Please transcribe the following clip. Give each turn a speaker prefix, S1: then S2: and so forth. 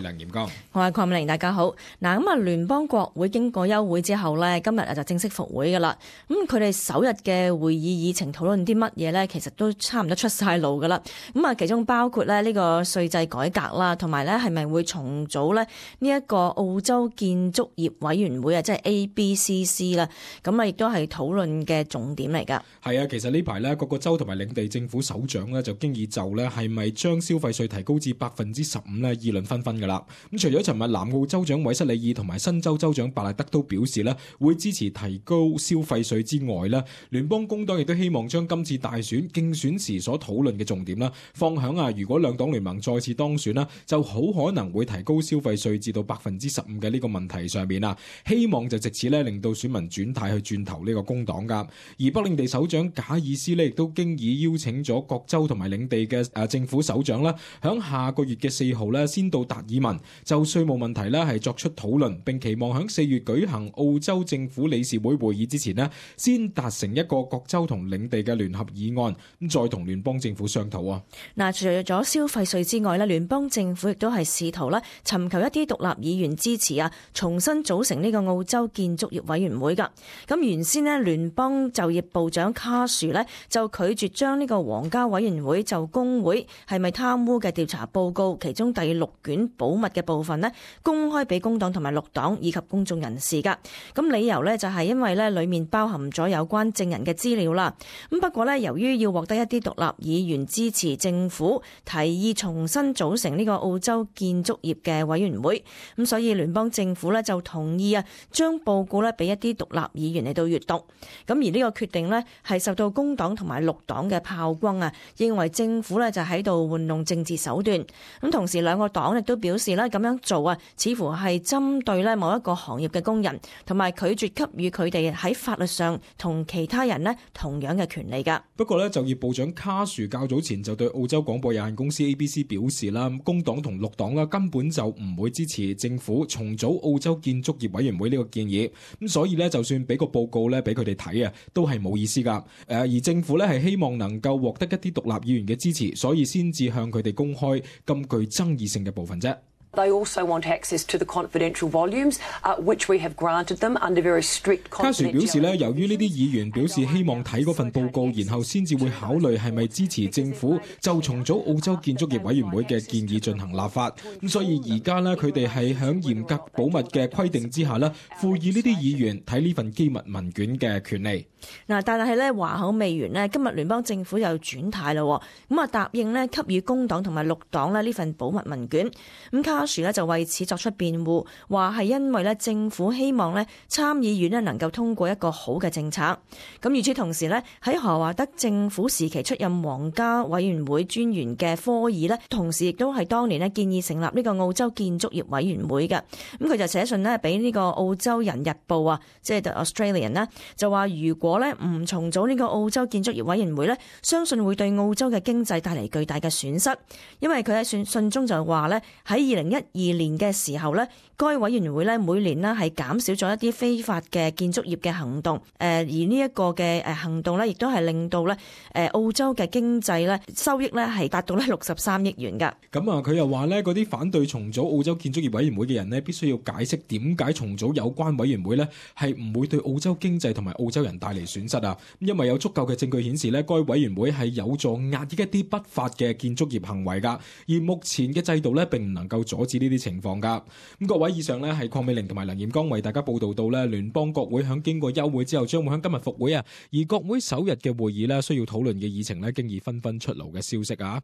S1: 梁炎光，
S2: 我係鄺美玲，大家好。嗱，聯邦國會經過休會之後呢，今日就正式復會噶啦。佢哋首日嘅會議議程討論啲乜嘢呢？其實都差唔多出晒爐噶啦。其中包括呢個稅制改革啦，同埋呢係咪會重組呢一個澳洲建築業委員會啊，即係 ABCC 啦。亦都係討論嘅重點嚟噶。
S1: 係啊，其實呢排呢，各個州同埋領地政府首長呢，就經已就呢係咪將消費稅提高至15%呢議論紛紛噶啦。咁除咗尋日南澳州長韋瑟里爾同埋新州州長伯納德都表示呢會支持提高消費稅之外呢，聯邦工黨亦都希望將今次大選競選時所討論嘅重點啦，放響如果兩黨聯盟再次當選啦，就好可能會提高消費稅至到15%嘅呢個問題上面啊，希望就藉此呢令到選民轉態去轉投呢個工黨噶。而北領地首長賈爾斯呢亦都經已邀請咗各州同埋領地嘅政府首長啦，響下個月嘅4號呢先到達爾文就稅務問題呢係作出討論，並期望響4月舉行澳洲政府理事會會議之前呢先達成一個各州同領地嘅聯合議案，咁再同聯邦政府商討啊。
S2: 除咗消費稅之外呢，聯邦政府亦都係試圖咧尋求一啲獨立議員支持啊，重新組成呢個澳洲建築業委員會噶。咁原先呢，聯邦就業部長卡殊呢就拒絕將呢個皇家委員會就工會係咪貪污嘅調查報告其中第6卷保密嘅部分呢公開俾工黨同埋綠黨以及公眾人士噶。咁理由呢就係因為呢裡面包含咗有關證人嘅資料啦。咁不過呢，由於要獲得一啲獨立議員支持，政府提議重新組成呢個澳洲建築業嘅委員會，咁所以聯邦政府呢就同意將報告呢俾一啲獨立議員嚟到閱讀。咁而呢個決定呢係受到工黨同埋綠黨嘅炮轟啊，認為政府呢就喺度玩弄政治手段。咁同時兩個黨亦都表示呢咁樣做似乎係針對呢某一個行業嘅工人，同埋拒絕給予佢哋喺法律上同其他人呢同樣嘅權利噶。
S1: 不過呢，就業部長卡殊較早前就對澳洲廣播有限公司 ABC 表示啦，工黨同綠黨啦根本就唔會支持政府重組澳洲建築業委員會呢個建議，咁所以呢，就算俾個報告呢俾佢哋睇都係冇意思噶。而政府呢係希望能夠獲得一啲獨立議員嘅支持，所以先至向佢哋公開咁具爭議性嘅部分啫。
S3: They also want access to the confidential volumes, which we have granted them under very strict confidentiality.
S1: 卡殊表示呢，由於呢啲議員表示希望睇嗰份報告，然後先至會考慮係咪支持政府就重組澳洲建築業委員會嘅建議進行立法。咁所以而家呢，佢哋係響嚴格保密嘅規定之下呢，賦予呢啲議員睇呢份機密文件嘅權利。
S2: 但係呢話口未完呢，今日聯邦政府又轉態啦，咁答應呢給予工黨同埋綠黨呢份保密文件。咁卡殊呢就為此作出辯護，話係因為呢政府希望呢參議院呢能夠通過一個好嘅政策。咁與此同時呢，喺何華德政府時期出任皇家委員會專員嘅科爾呢，同時亦都係當年呢建議成立呢個澳洲建築業委員會嘅。咁佢就寫信呢俾呢個澳洲人日報啊，即係 The Australian 啦，就話如果呢唔重組呢個澳洲建築業委員會呢，相信會對澳洲嘅經濟帶嚟巨大嘅損失。因為佢喺信中就話呢，喺2012年嘅時候呢，該委員會呢每年呢係減少咗一啲非法嘅建築業嘅行動。而呢一個嘅行動呢，亦都係令到呢澳洲嘅經濟呢收益呢係達到呢63億元㗎。
S1: 咁佢又話呢，嗰啲反對重組澳洲建築業委員會嘅人呢，必須要解釋點解重組有關委員會呢係唔會對澳洲經濟同埋澳洲人帶嚟損失啊。因為有足夠嘅證據顯示呢，該委員會係有助壓抑一啲不法嘅建築業行為㗎。而目前嘅制度呢，並唔能夠阻止呢啲情況㗎。咁各位，以上呢係鄺美玲同埋梁炎光為大家報道到呢，聯邦國會響經過休會之後，將會響今日復會啊。而國會首日嘅會議呢，需要討論嘅議程呢，經已紛紛出爐嘅消息啊。